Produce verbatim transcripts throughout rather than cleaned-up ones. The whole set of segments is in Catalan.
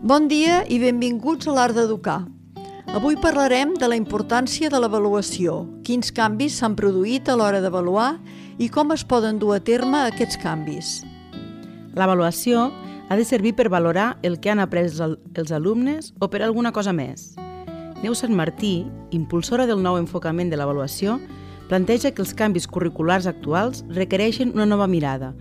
Bon dia i benvinguts a l'Art d'Educar. Avui parlarem de la importància de l'avaluació, quins canvis s'han produït a l'hora d'avaluar i com es poden dur a terme aquests canvis. L'avaluació ha de servir per valorar el que han après els alumnes o per alguna cosa més. Neus Sant Martí, impulsora del nou enfocament de l'avaluació, planteja que els canvis curriculars actuals requereixen una nova mirada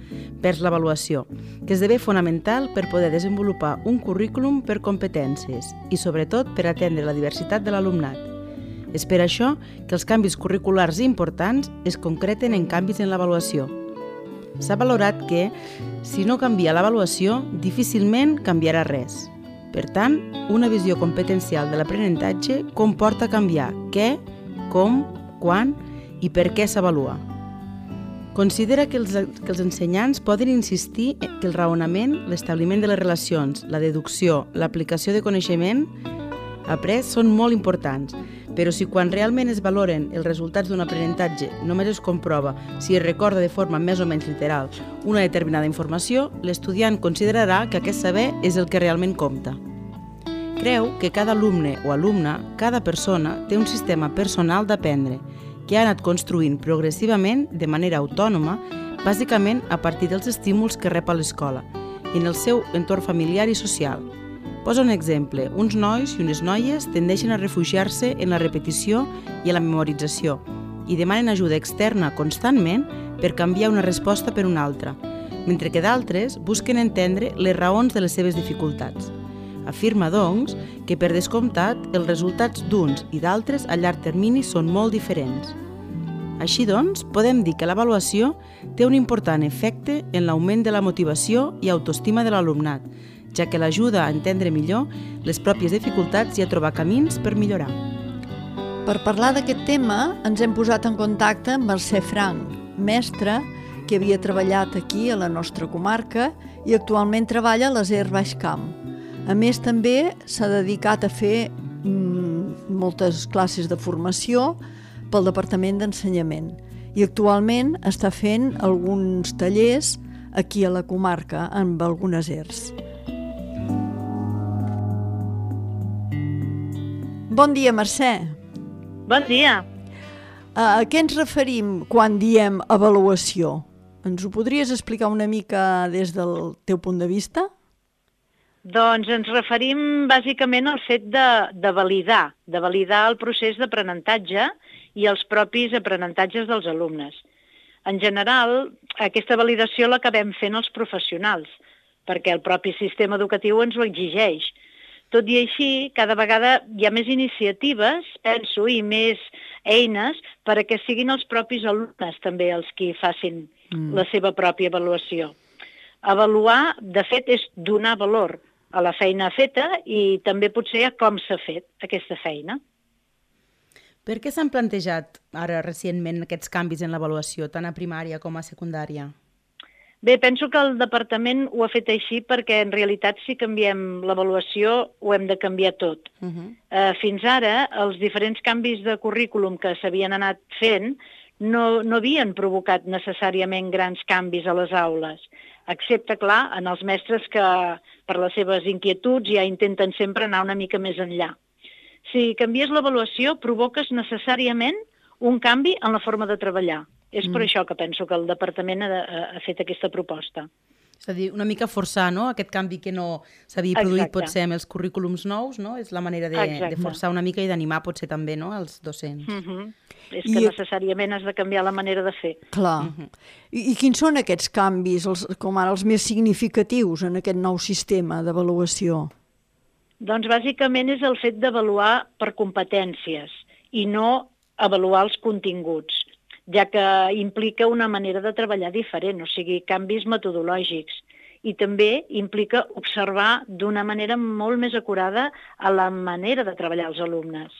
vers l'avaluació, que esdevé fonamental per poder desenvolupar un currículum per competències i, sobretot, per atendre la diversitat de l'alumnat. És per això que els canvis curriculars importants es concreten en canvis en l'avaluació. S'ha valorat que, si no canvia l'avaluació, difícilment canviarà res. Per tant, una visió competencial de l'aprenentatge comporta canviar què, com, quan i per què s'avalua. Considera que els, que els ensenyants poden insistir que el raonament, l'establiment de les relacions, la deducció, l'aplicació de coneixement après són molt importants, però si quan realment es valoren els resultats d'un aprenentatge només es comprova si es recorda de forma més o menys literal una determinada informació, l'estudiant considerarà que aquest saber és el que realment compta. Creu que cada alumne o alumna, cada persona, té un sistema personal d'aprendre que ha anat construint progressivament de manera autònoma, bàsicament a partir dels estímuls que rep a l'escola i en el seu entorn familiar i social. Posa un exemple. Uns nois i unes noies tendeixen a refugiar-se en la repetició i a la memorització i demanen ajuda externa constantment per canviar una resposta per una altra, mentre que d'altres busquen entendre les raons de les seves dificultats. Afirma, doncs, que per descomptat els resultats d'uns i d'altres a llarg termini són molt diferents. Així doncs, podem dir que l'avaluació té un important efecte en l'augment de la motivació i autoestima de l'alumnat, ja que l'ajuda a entendre millor les pròpies dificultats i a trobar camins per millorar. Per parlar d'aquest tema, ens hem posat en contacte amb Mercè Franch, mestra que havia treballat aquí a la nostra comarca i actualment treballa a l'A S E R Baix Camp. A més, també s'ha dedicat a fer mm, moltes classes de formació pel Departament d'Ensenyament i actualment està fent alguns tallers aquí a la comarca amb algunes E R S. Bon dia, Mercè. Bon dia. A què ens referim quan diem avaluació? Ens ho podries explicar una mica des del teu punt de vista? Doncs ens referim bàsicament al fet de, de validar, de validar el procés d'aprenentatge i els propis aprenentatges dels alumnes. En general, aquesta validació l'acabem fent els professionals, perquè el propi sistema educatiu ens ho exigeix. Tot i així, cada vegada hi ha més iniciatives, penso, i més eines perquè siguin els propis alumnes també els qui facin mm. la seva pròpia avaluació. Avaluar, de fet, és donar valor a la feina feta i també potser a com s'ha fet aquesta feina. Per què s'han plantejat ara recentment aquests canvis en l'avaluació, tant a primària com a secundària? Bé, penso que el departament ho ha fet així perquè en realitat si canviem l'avaluació ho hem de canviar tot. Uh -huh. uh, fins ara els diferents canvis de currículum que s'havien anat fent no, no havien provocat necessàriament grans canvis a les aules, excepte, clar, en els mestres que per les seves inquietuds ja intenten sempre anar una mica més enllà. Si canvies l'avaluació, provoques necessàriament un canvi en la forma de treballar. És mm. per això que penso que el departament ha, ha fet aquesta proposta. És a dir, una mica forçar, no?, aquest canvi que no s'havia produït potser amb els currículums nous, no? És la manera de, de forçar una mica i d'animar potser també, no?, els docents. Mm -hmm. És que I... necessàriament has de canviar la manera de fer. Clar. Mm -hmm. I, I quins són aquests canvis, els, com ara els més significatius en aquest nou sistema d'avaluació? Doncs bàsicament és el fet d'avaluar per competències i no avaluar els continguts, ja que implica una manera de treballar diferent, o sigui, canvis metodològics. I també implica observar d'una manera molt més acurada a la manera de treballar els alumnes.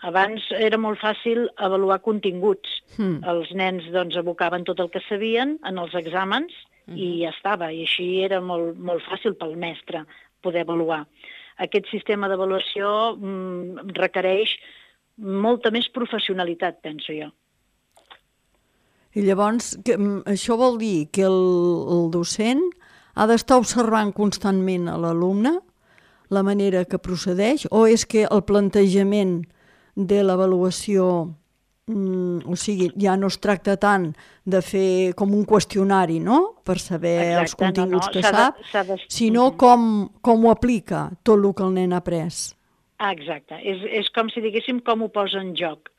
Abans era molt fàcil avaluar continguts. Mm. Els nens doncs, abocaven tot el que sabien en els exàmens mm. i ja estava. I així era molt, molt fàcil pel mestre poder avaluar. Aquest sistema d'avaluació mm, requereix molta més professionalitat, penso jo. I llavors, que, això vol dir que el, el docent ha d'estar observant constantment a l'alumne la manera que procedeix, o és que el plantejament de l'avaluació, mm, o sigui, ja no es tracta tant de fer com un qüestionari, no?, per saber Exacte, els continguts no, no, que s'ha de- sap, s'ha de- sinó com, com ho aplica tot el que el nen ha après. Ah, exacte. És, és com si diguéssim com ho posa en joc.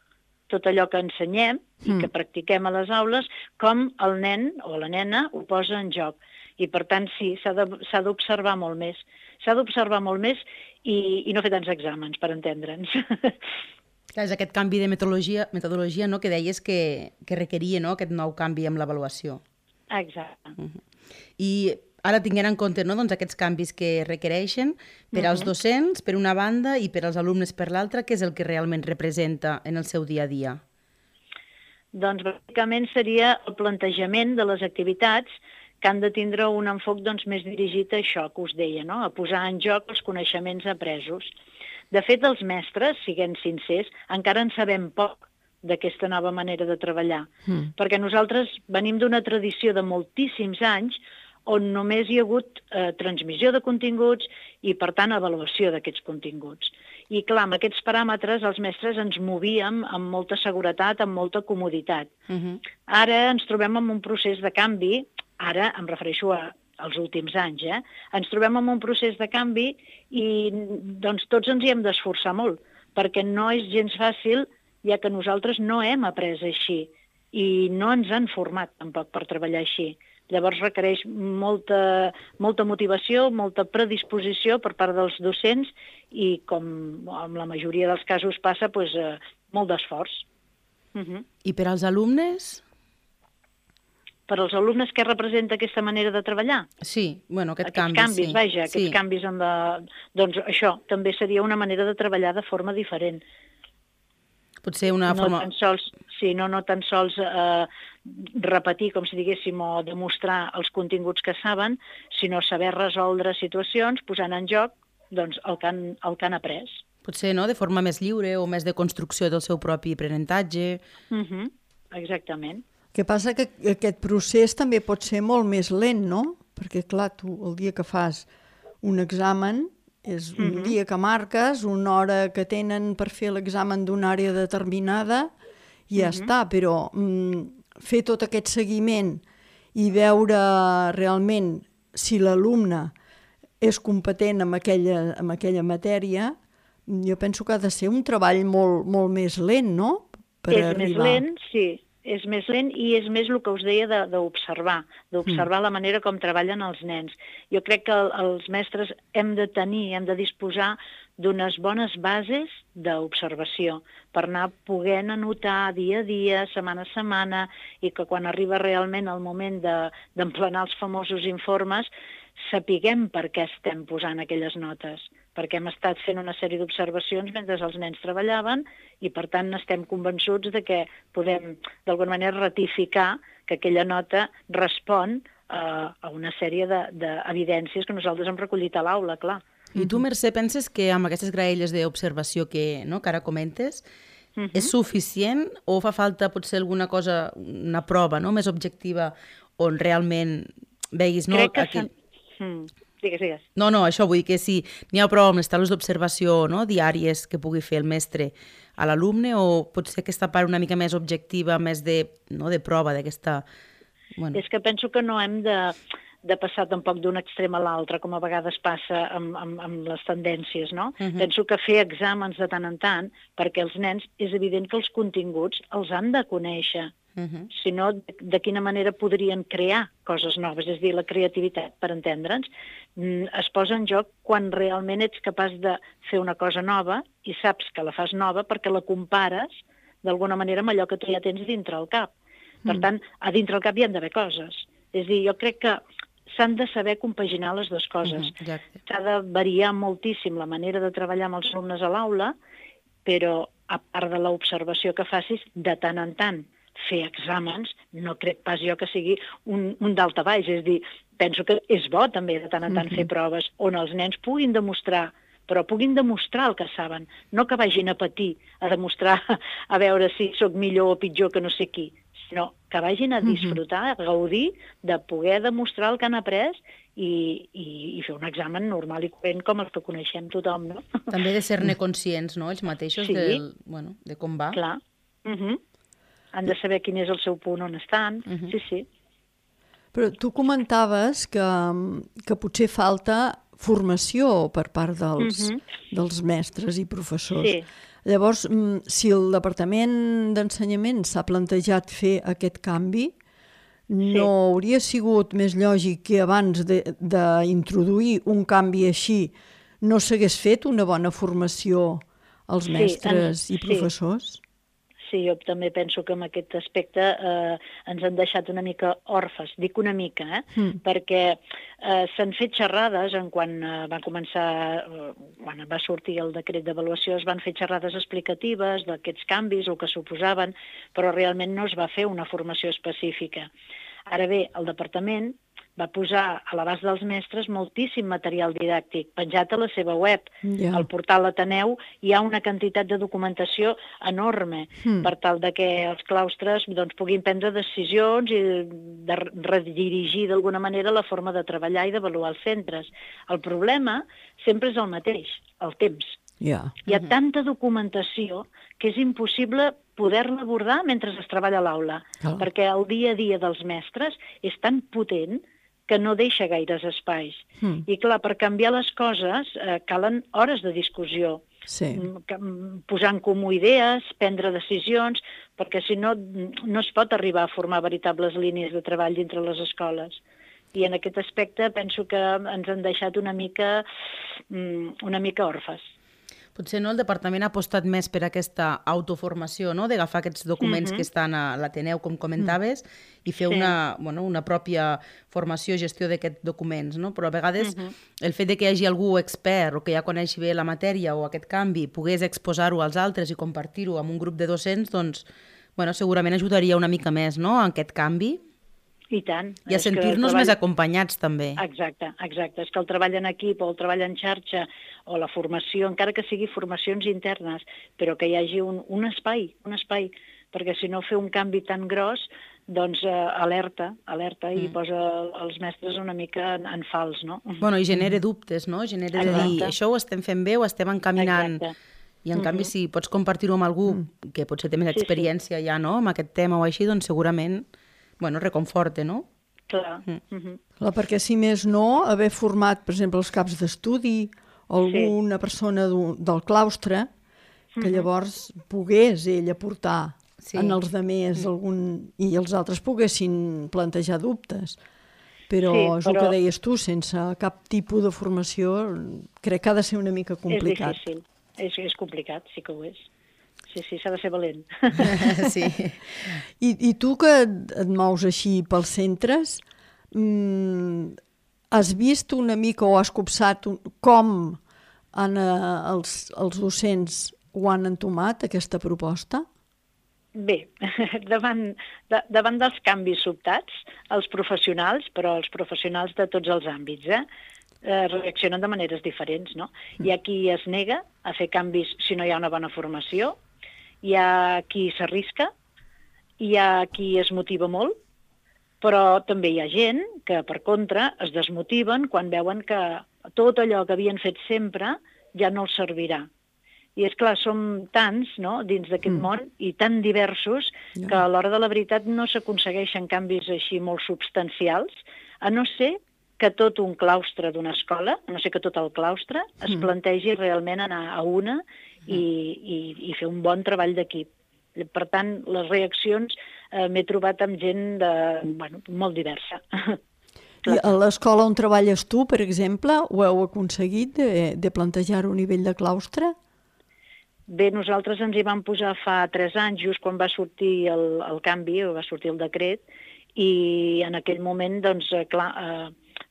Tot allò que ensenyem i que practiquem a les aules, com el nen o la nena ho posa en joc. I, per tant, sí, s'ha de- s'ha d'observar molt més. S'ha d'observar molt més i, i no fer tants exàmens, per entendre'ns. Clar, és aquest canvi de metodologia, metodologia no, que deies que, que requeria, no, aquest nou canvi amb l'avaluació. Exacte. I ara tinguent en compte, no, doncs, aquests canvis que requereixen per als docents, per una banda, i per als alumnes per l'altra, què és el que realment representa en el seu dia a dia? Doncs bàsicament seria el plantejament de les activitats que han de tindre un enfoc doncs, més dirigit a això que us deia, no? A posar en joc els coneixements apresos. De fet, els mestres, siguem sincers, encara en sabem poc d'aquesta nova manera de treballar, mm. perquè nosaltres venim d'una tradició de moltíssims anys on només hi ha hagut eh, transmissió de continguts i, per tant, avaluació d'aquests continguts. I, clar, amb aquests paràmetres els mestres ens movíem amb molta seguretat, amb molta comoditat. Uh-huh. Ara ens trobem en un procés de canvi, ara em refereixo a, als últims anys, eh? ens trobem en un procés de canvi i doncs, tots ens hi hem d'esforçar molt, perquè no és gens fàcil, ja que nosaltres no hem après així i no ens han format tampoc per treballar així. Llavors requereix molta, molta motivació, molta predisposició per part dels docents i, com en la majoria dels casos passa, doncs, eh, molt d'esforç. Uh-huh. I per als alumnes? Per als alumnes, què representa aquesta manera de treballar? Sí, bueno, aquest aquests canvi, canvis, sí. vaja, aquests sí. canvis en la... Doncs això també seria una manera de treballar de forma diferent. Potser una no forma... Tan sols, sí, no, no tan sols eh, repetir, com si diguéssim, o demostrar els continguts que saben, sinó saber resoldre situacions posant en joc doncs, el, que han, el que han après. Potser no, de forma més lliure o més de construcció del seu propi aprenentatge. Uh-huh. Exactament. El que passa que aquest procés també pot ser molt més lent, no? Perquè, clar, tu el dia que fas un examen és un uh-huh. dia que marques, una hora que tenen per fer l'examen d'una àrea determinada i ja uh-huh. està, però mm, fer tot aquest seguiment i veure realment si l'alumne és competent en aquella, en aquella matèria, jo penso que ha de ser un treball molt, molt més lent, no? Per és arribar. més lent, sí. És més lent i és més el que us deia d'observar, d'observar mm. la manera com treballen els nens. Jo crec que els mestres hem de tenir, hem de disposar d'unes bones bases d'observació per anar podent anotar dia a dia, setmana a setmana, i que quan arriba realment el moment d'emplenar els famosos informes sapiguem per què estem posant aquelles notes, perquè hem estat fent una sèrie d'observacions mentre els nens treballaven i, per tant, estem convençuts de que podem, d'alguna manera, ratificar que aquella nota respon uh, a una sèrie d'evidències que nosaltres hem recollit a l'aula, clar. I tu, Mercè, penses que amb aquestes graelles d'observació que, no, que ara comentes, uh-huh. és suficient o fa falta potser alguna cosa, una prova, no?, més objectiva on realment veguis... No, Crec que... aquell... Mm. Digues, digues. No, no, això vull dir que si n'hi ha prou amb les taules d'observació, no, diàries que pugui fer el mestre a l'alumne, o potser aquesta part una mica més objectiva, més de, no, de prova d'aquesta... Bueno. És que penso que no hem de, de passar tampoc d'un extrem a l'altre, com a vegades passa amb, amb, amb les tendències, no? Uh-huh. Penso que fer exàmens de tant en tant, perquè els nens és evident que els continguts els han de conèixer. Uh-huh. Si no, de, de quina manera podrien crear coses noves? És a dir, la creativitat, per entendre'ns, es posa en joc quan realment ets capaç de fer una cosa nova i saps que la fas nova perquè la compares d'alguna manera amb allò que tu ja tens dintre el cap. Per mm. tant, a dintre el cap hi han d'haver coses. És a dir, jo crec que s'han de saber compaginar les dues coses. Mm-hmm, s'ha de variar moltíssim la manera de treballar amb els alumnes a l'aula, però a part de l'observació que facis, de tant en tant fer exàmens, no crec pas jo que sigui un, un d'alta baix, és a dir, penso que és bo també de tant en tant mm-hmm. fer proves on els nens puguin demostrar, però puguin demostrar el que saben, no que vagin a patir, a demostrar, a veure si sóc millor o pitjor que no sé qui, sinó que vagin a disfrutar, a gaudir de poder demostrar el que han après i, i, i fer un examen normal i corrent com el que coneixem tothom, no? També de ser-ne conscients, no?, ells mateixos, Sí. del, bueno, de com va. Clar. Uh -huh. Han de saber quin és el seu punt on estan. Uh -huh. Sí, sí. Però tu comentaves que, que potser falta formació per part dels, uh-huh. dels mestres i professors. Sí. Llavors, si el Departament d'Ensenyament s'ha plantejat fer aquest canvi, no sí. hauria sigut més lògic que abans d'introduir un canvi així no s'hagués fet una bona formació als sí, mestres en, i professors? Sí. Sí, jo també penso que en aquest aspecte eh, ens han deixat una mica orfes, dic una mica, eh? Mm. perquè eh, s'han fet xerrades en quan eh, va començar, eh, quan va sortir el decret d'avaluació, es van fer xerrades explicatives d'aquests canvis, el que suposaven, però realment no es va fer una formació específica. Ara bé, el departament va posar a l'abast dels mestres moltíssim material didàctic, penjat a la seva web. Yeah. Al portal Ateneu hi ha una quantitat de documentació enorme mm. per tal de que els claustres doncs, puguin prendre decisions i de redirigir d'alguna manera la forma de treballar i d'avaluar els centres. El problema sempre és el mateix, el temps. Yeah. Hi ha tanta documentació que és impossible poder-la abordar mentre es treballa a l'aula, oh. perquè el dia a dia dels mestres és tan potent que no deixa gaires espais. Mm. I clar, per canviar les coses eh, calen hores de discussió, sí. posar en comú idees, prendre decisions, perquè si no, no es pot arribar a formar veritables línies de treball dintre les escoles. I en aquest aspecte penso que ens han deixat una mica, una mica orfes. Potser no, el departament ha apostat més per aquesta autoformació, no?, d'agafar aquests documents uh-huh. que estan a l'Ateneu, com comentaves, uh-huh. i fer sí. una, bueno, una pròpia formació i gestió d'aquests documents, no? Però a vegades uh-huh. el fet de que hi hagi algú expert o que ja coneixi bé la matèria o aquest canvi pogués exposar-ho als altres i compartir-ho amb un grup de docents, doncs, bueno, segurament ajudaria una mica més, no?, en aquest canvi. I tant. I a sentir-nos treball... més acompanyats, també. Exacte, exacte. És que el treball en equip o el treball en xarxa o la formació, encara que sigui formacions internes, però que hi hagi un, un espai, un espai, perquè si no fer un canvi tan gros, doncs eh, alerta, alerta mm. i posa els mestres una mica en, en fals, no? Bueno, i genera dubtes, no? Genera de dir, això ho estem fent bé, ho estem encaminant... Exacte. I en mm-hmm. canvi, si pots compartir-ho amb algú mm. que potser té més experiència sí, sí. ja, no?, amb aquest tema o així, doncs segurament... bueno, reconforte, no? Clar. Mm. Mm-hmm. Clar, perquè si més no, haver format, per exemple, els caps d'estudi o alguna sí. persona del claustre, que mm-hmm. llavors pogués ell aportar sí. en els demés mm. algun, i els altres poguessin plantejar dubtes. Però sí, és però... el que deies tu, sense cap tipus de formació, crec que ha de ser una mica complicat. És difícil, és, és complicat, sí que ho és. Sí, sí, s'ha de ser valent. Sí. I, I tu que et mous així pels centres, mmm, has vist una mica o has copsat un, com han, eh, els, els docents ho han entomat, aquesta proposta? Bé, davant, de, davant dels canvis sobtats, els professionals, però els professionals de tots els àmbits, eh? Eh, reaccionen de maneres diferents, no? Hi ha qui es nega a fer canvis si no hi ha una bona formació, hi ha qui s'arrisca, hi ha qui es motiva molt, però també hi ha gent que, per contra, es desmotiven quan veuen que tot allò que havien fet sempre ja no els servirà. I és clar, som tants, no?, dins d'aquest mm. món i tan diversos yeah. que a l'hora de la veritat no s'aconsegueixen canvis així molt substancials, a no ser que tot un claustre d'una escola, a no ser que tot el claustre, es mm. plantegi realment anar a una i, i, i fer un bon treball d'equip. Per tant, les reaccions eh, m'he trobat amb gent de, bueno, molt diversa. I a l'escola on treballes tu, per exemple, ho heu aconseguit de, de plantejar un nivell de claustre? Bé, nosaltres ens hi vam posar fa tres anys, just quan va sortir el, el canvi, va sortir el decret, i en aquell moment, doncs, clar, eh,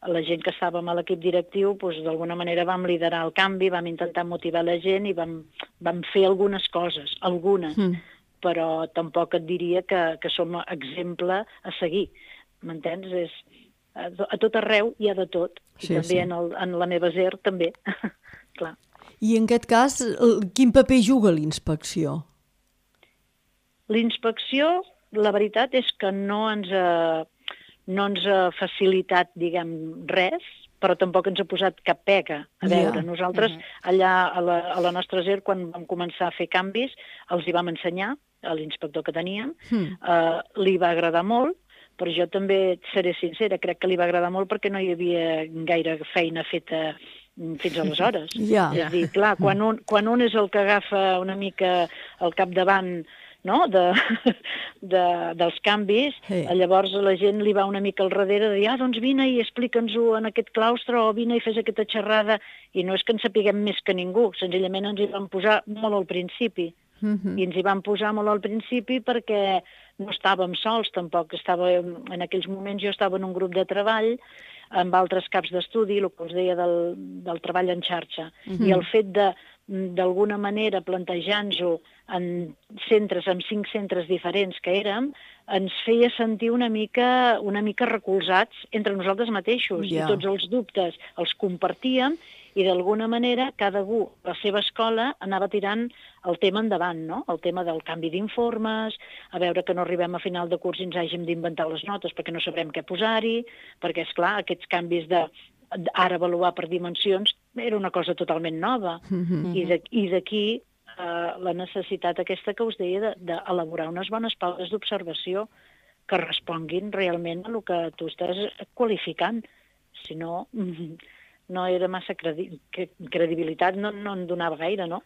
la gent que estàvem a l'equip directiu, doncs, d'alguna manera vam liderar el canvi, vam intentar motivar la gent i vam, vam fer algunes coses, algunes, mm. però tampoc et diria que, que som exemple a seguir. M'entens? És, a, a tot arreu hi ha de tot, i sí, també sí. En, el, en la meva S E R també, clar. I en aquest cas, quin paper juga l'inspecció? L'inspecció, la veritat és que no ens... Eh, no ens ha facilitat, diguem, res, però tampoc ens ha posat cap pega. A veure, Ja. nosaltres allà a la, a la nostra S E R, quan vam començar a fer canvis, els hi vam ensenyar, a l'inspector que teníem, Mm. eh, li va agradar molt, però jo també et seré sincera, crec que li va agradar molt perquè no hi havia gaire feina feta fins aleshores. Ja. És a dir, clar, quan un, quan un és el que agafa una mica al capdavant, no?, de, de, dels canvis, Sí. llavors la gent li va una mica al darrere de dir, ah, doncs vine i explica'ns-ho en aquest claustre, o vine i fes aquesta xerrada, i no és que en sapiguem més que ningú, senzillament ens hi vam posar molt al principi, Mhm. i ens hi vam posar molt al principi perquè no estàvem sols tampoc, estava, en aquells moments jo estava en un grup de treball amb altres caps d'estudi, el que us deia del, del treball en xarxa, i el fet de d'alguna manera plantejar-nos-ho en centres, en cinc centres diferents que érem, ens feia sentir una mica, una mica recolzats entre nosaltres mateixos, Ja. i tots els dubtes els compartíem, i d'alguna manera cada un a la seva escola anava tirant el tema endavant, no? El tema del canvi d'informes, a veure que no arribem a final de curs i ens hàgim d'inventar les notes perquè no sabrem què posar-hi, perquè, és clar, aquests canvis de ara avaluar per dimensions era una cosa totalment nova. Mhm. I de- i d'aquí eh, la necessitat aquesta que us deia d'elaborar de, unes bones pautes d'observació que responguin realment a el que tu estàs qualificant. Si no, no era massa credi credibilitat, no, no en donava gaire, no?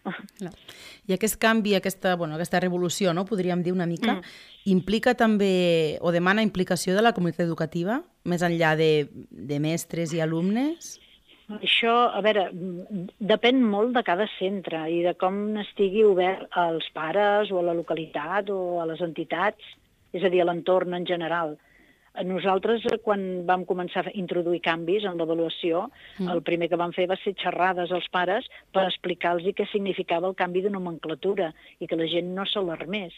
I aquest canvi, aquesta, bueno, aquesta revolució, no, podríem dir una mica, Mm. implica també, o demana implicació de la comunitat educativa, més enllà de, de mestres i alumnes? Això, a veure, depèn molt de cada centre i de com estigui obert als pares o a la localitat o a les entitats, és a dir, a l'entorn en general. Nosaltres, quan vam començar a introduir canvis en l'avaluació, mm. el primer que vam fer va ser xerrades als pares per explicar-los què significava el canvi de nomenclatura i que la gent no s'alarmés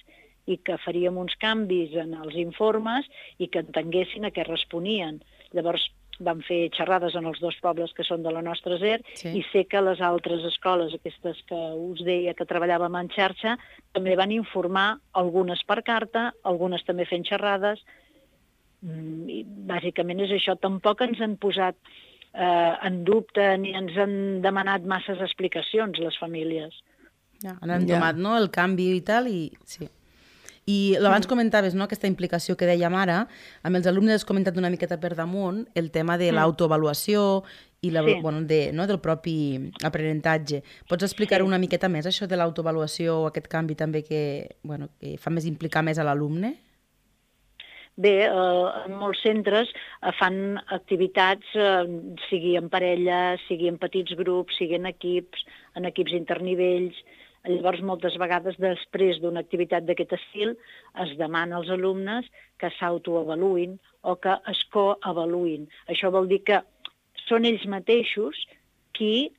i que faríem uns canvis en els informes i que entenguessin a què responien. Llavors, vam fer xerrades en els dos pobles que són de la nostra S E R, Sí. i sé que les altres escoles, aquestes que us deia que treballàvem en xarxa, també van informar, algunes per carta, algunes també fent xerrades. I bàsicament és això. Tampoc ens han posat eh, en dubte ni ens han demanat masses explicacions les famílies. Ja, han Ja. entomat, no?, el canvi i tal, i sí. I abans comentaves, no?, aquesta implicació que dèiem ara, amb els alumnes has comentat una miqueta per damunt el tema de l'autoavaluació i la, Sí. bueno, de, no, del propi aprenentatge. Pots explicar Sí. una miqueta més això de l'autoavaluació o aquest canvi també que, bueno, que fa més implicar més a l'alumne? Bé, eh, en molts centres eh, fan activitats, eh, sigui en parella, sigui en petits grups, sigui en equips, en equips internivells. Llavors, moltes vegades, després d'una activitat d'aquest estil, es demana als alumnes que s'autoavaluïn o que es coavaluïn. Això vol dir que són ells mateixos qui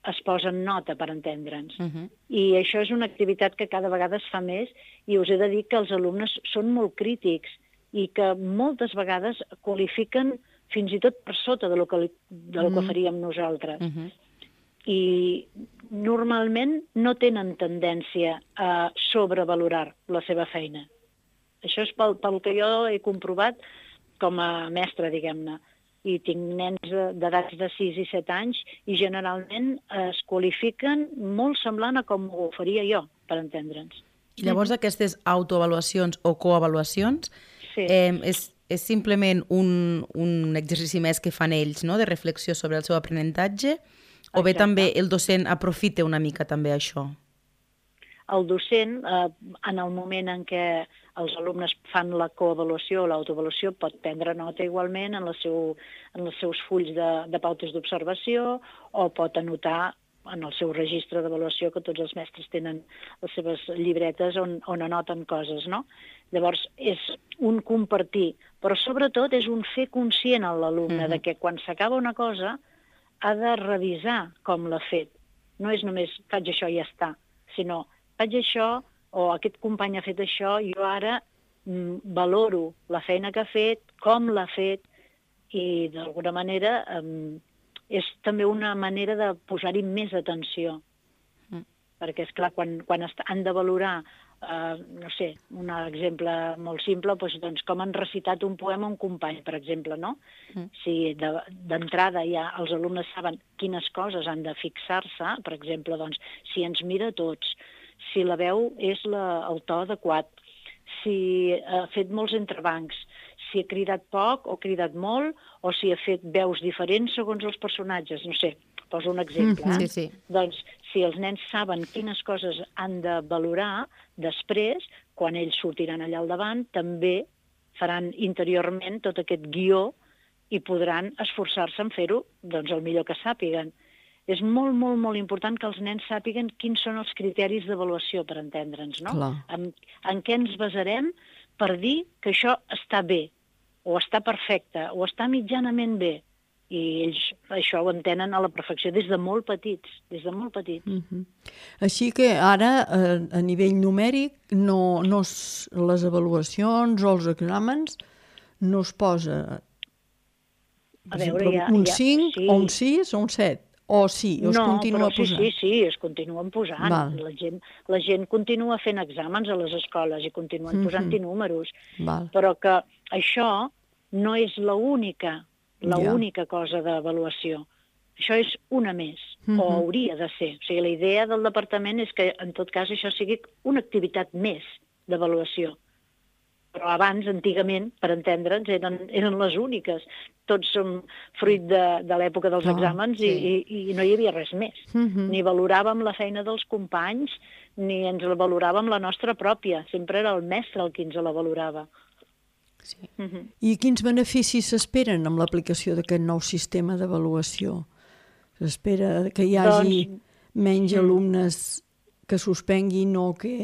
es posen nota, per entendre'ns. Uh -huh. I això és una activitat que cada vegada es fa més, i us he de dir que els alumnes són molt crítics i que moltes vegades qualifiquen fins i tot per sota de lo que, de lo que faríem nosaltres. Uh -huh. I normalment no tenen tendència a sobrevalorar la seva feina. Això és pel, pel que jo he comprovat com a mestra, diguem-ne. I tinc nens d'edats de sis i set anys i generalment es qualifiquen molt semblant a com ho faria jo, per entendre'ns. I llavors aquestes autoavaluacions o coavaluacions Sí. eh, és, és simplement un, un exercici més que fan ells, no?, de reflexió sobre el seu aprenentatge, o bé Exacte. també el docent aprofita una mica també això? El docent, eh, en el moment en què els alumnes fan la coavaluació o l'autoavaluació, pot prendre nota igualment en, la seu, en els seus fulls de, de pautes d'observació, o pot anotar en el seu registre d'avaluació, que tots els mestres tenen les seves llibretes on, on anoten coses, no? Llavors, és un compartir, però sobretot és un fer conscient a l'alumne uh-huh. de que quan s'acaba una cosa ha de revisar com l'ha fet. No és només faig això i ja està, sinó faig això, o aquest company ha fet això, jo ara mm, valoro la feina que ha fet, com l'ha fet, i d'alguna manera mm, és també una manera de posar-hi més atenció. Mm. Perquè, esclar, quan, quan han de valorar Uh, no sé, un exemple molt simple, doncs, doncs com han recitat un poema un company, per exemple, no? Mm. Si d'entrada de, ja els alumnes saben quines coses han de fixar-se, per exemple, doncs, si ens mira a tots, si la veu és la, el to adequat, si ha fet molts entrebancs, si ha cridat poc o ha cridat molt, o si ha fet veus diferents segons els personatges, no sé, poso un exemple. Mm-hmm. Eh? Sí, sí. Doncs, si els nens saben quines coses han de valorar, després, quan ells sortiran allà al davant, també faran interiorment tot aquest guió i podran esforçar-se en fer-ho doncs, el millor que sàpiguen. És molt, molt, molt important que els nens sàpiguen quins són els criteris d'avaluació, per entendre'ns, no? En, en què ens basarem per dir que això està bé, o està perfecte, o està mitjanament bé. I ells això ho entenen a la perfecció des de molt petits, des de molt petits. Mm-hmm. Així que ara, a, a nivell numèric, no, no es, les avaluacions o els exàmens no es posa a veure, ja, un ja, cinc, sí. o un sis, o un set, o sí, o es no, continua però sí, posant? sí, sí, es continuen posant. La gent, la gent continua fent exàmens a les escoles i continuen mm-hmm. posant-hi números. Val. Però que això no és l'única l'única ja. cosa d'avaluació. Això és una més, mm-hmm. o hauria de ser. O sigui, la idea del departament és que, en tot cas, això sigui una activitat més d'avaluació. Però abans, antigament, per entendre'ns, eren, eren les úniques. Tots som fruit de, de l'època dels oh, exàmens sí. i, i, i no hi havia res més. Mm-hmm. Ni valoràvem la feina dels companys, ni ens la valoràvem la nostra pròpia. Sempre era el mestre el qui ens la valorava. Sí. Uh-huh. I quins beneficis s'esperen amb l'aplicació d'aquest nou sistema d'avaluació? S'espera que hi hagi doncs... menys mm. alumnes que suspenguin o que...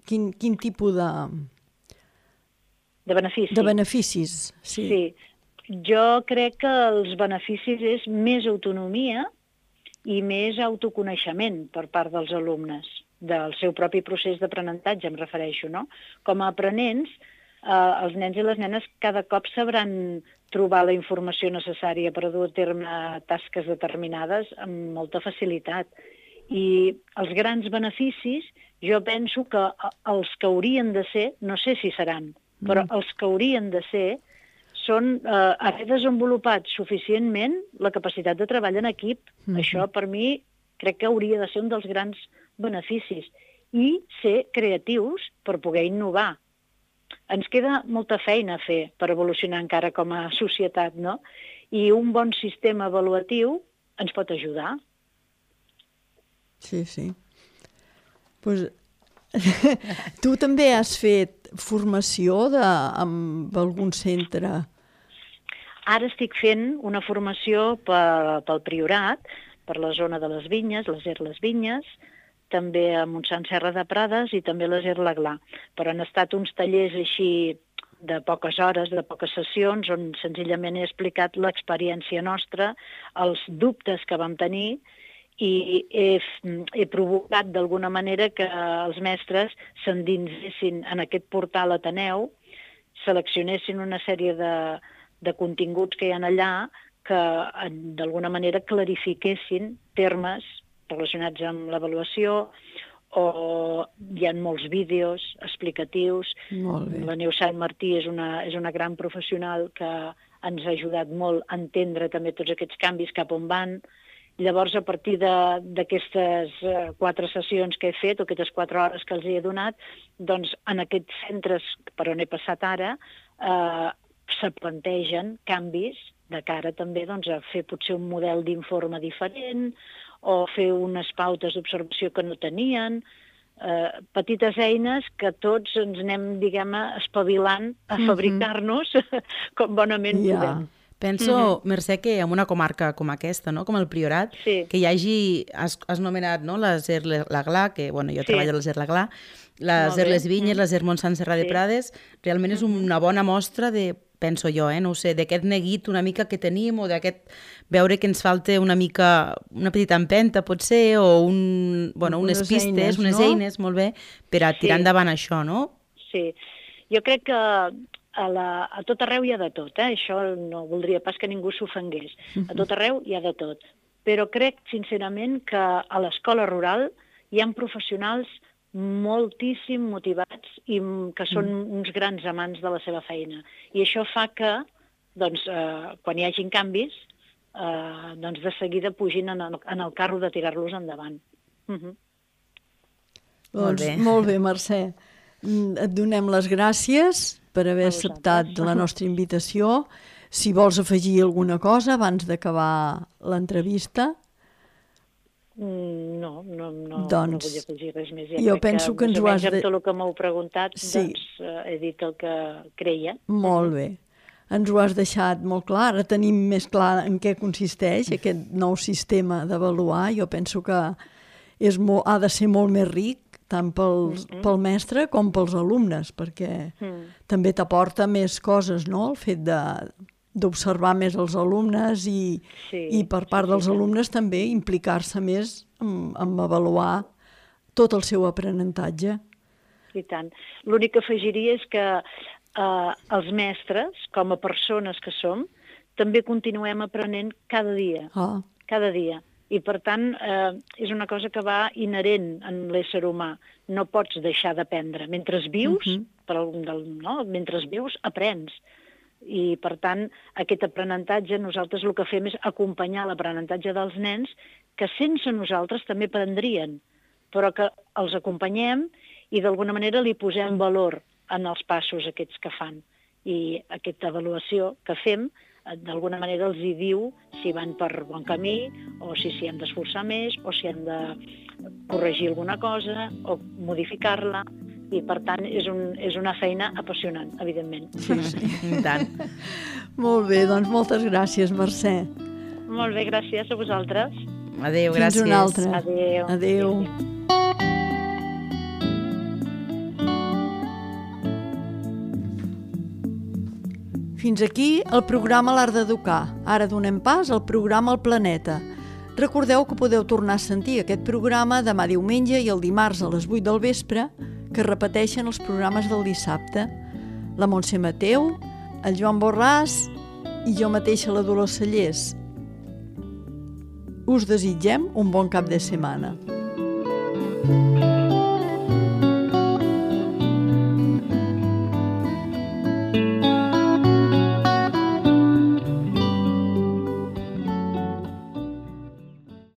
Quin, quin tipus de... De beneficis? De beneficis, sí. Sí. Jo crec que els beneficis és més autonomia i més autoconeixement per part dels alumnes, del seu propi procés d'aprenentatge, em refereixo, no? Com a aprenents, eh, els nens i les nenes cada cop sabran trobar la informació necessària per dur a terme tasques determinades amb molta facilitat. I els grans beneficis, jo penso que els que haurien de ser, no sé si seran, però mm. els que haurien de ser són eh, haver desenvolupat suficientment la capacitat de treball en equip. Mm. Això, per mi, crec que hauria de ser un dels grans beneficis. I ser creatius per poder innovar. Ens queda molta feina a fer per evolucionar encara com a societat, no? I un bon sistema avaluatiu ens pot ajudar. Sí, sí. Pues, tu també has fet formació de, amb algun centre? Ara estic fent una formació pel, pel Priorat, per la zona de les Vinyes, les Er les Vinyes, també a Montsant Serra de Prades i també a les Er l'Aglà. Però han estat uns tallers així de poques hores, de poques sessions, on senzillament he explicat l'experiència nostra, els dubtes que vam tenir, i he, he provocat d'alguna manera que els mestres s'endinsessin en aquest portal Ateneu, seleccionessin una sèrie de, de continguts que hi ha allà que d'alguna manera clarifiquessin termes relacionats amb l'avaluació, o hi ha molts vídeos explicatius. La Neus Sant Martí és una, és una gran professional que ens ha ajudat molt a entendre també tots aquests canvis cap on van. Llavors, a partir d'aquestes quatre sessions que he fet, o aquestes quatre hores que els he donat, doncs en aquests centres per on he passat ara, eh, se plantegen canvis de cara també doncs, a fer potser un model d'informe diferent, o fer unes pautes d'observació que no tenien, eh, petites eines que tots ens anem, diguem-ne, espavilant a fabricar-nos com bonament ja. podem. Penso, mm-hmm. Mercè, que en una comarca com aquesta, no? Com el Priorat, sí. que hi hagi, has, has nomenat no? les Er l'Aglà, que bueno, jo sí. treballo a les Er l'Aglà, les Er les Vinyes, mm. les Er Montsant Serra sí. de Prades, realment és una bona mostra de, penso jo, eh? no ho sé, d'aquest neguit una mica que tenim, o d'aquest veure que ens falta una mica, una petita empenta, potser, o un, bueno, unes, unes pistes, eines, unes no? eines, molt bé, per a tirar sí. endavant això, no? Sí, jo crec que a, la, a tot arreu hi ha de tot, eh? Això no voldria pas que ningú s'ofengués. A tot arreu hi ha de tot. Però crec, sincerament, que a l'escola rural hi ha professionals moltíssim motivats i que són uns grans amants de la seva feina. I això fa que, doncs, eh, quan hi hagin canvis, eh, doncs de seguida pugin en el, en el carro de tirar-los endavant. Uh-huh. Doncs, molt bé. Molt bé, Mercè. Et donem les gràcies per haver acceptat la nostra invitació. Si vols afegir alguna cosa abans d'acabar l'entrevista... No, no, no, doncs, no vull afegir res més. Ja jo penso que, que ens ho has de... Amb tot el que m'heu preguntat, sí. doncs eh, he dit el que creia. Molt bé. Ens ho has deixat molt clar. Ara tenim més clar en què consisteix aquest nou sistema d'avaluar. Jo penso que és molt, ha de ser molt més ric, tant pels, mm-hmm. pel mestre com pels alumnes, perquè mm. també t'aporta més coses, no?, el fet de... d'observar més els alumnes i, sí, i per part sí, dels sí, alumnes també implicar-se més en, en avaluar tot el seu aprenentatge. I tant. L'únic que afegiria és que eh, els mestres, com a persones que som, també continuem aprenent cada dia. Ah. Cada dia. I, per tant, eh, és una cosa que va inherent en l'ésser humà. No pots deixar d'aprendre. Mentre vius, uh-huh. per algun del, no? mentre vius, aprens. I, per tant, aquest aprenentatge, nosaltres el que fem és acompanyar l'aprenentatge dels nens que sense nosaltres també prendrien, però que els acompanyem i d'alguna manera li posem valor en els passos aquests que fan. I aquesta avaluació que fem, d'alguna manera els hi diu si van per bon camí o si s'hi han d'esforçar més o si han de corregir alguna cosa o modificar-la. I, per tant, és, un, és una feina apassionant, evidentment. Sí, sí. I tant. Molt bé, doncs moltes gràcies, Mercè. Molt bé, gràcies a vosaltres. Adéu, Fins gràcies. Fins una altra. Adéu. Adéu. Fins aquí el programa L'Art d'Educar. Ara donem pas al programa El Planeta. Recordeu que podeu tornar a sentir aquest programa demà diumenge i el dimarts a les vuit del vespre, que repeteixen els programes del dissabte. La Montse Mateu, el Joan Borràs i jo mateixa, la Dolors Cellers. Us desitgem un bon cap de setmana.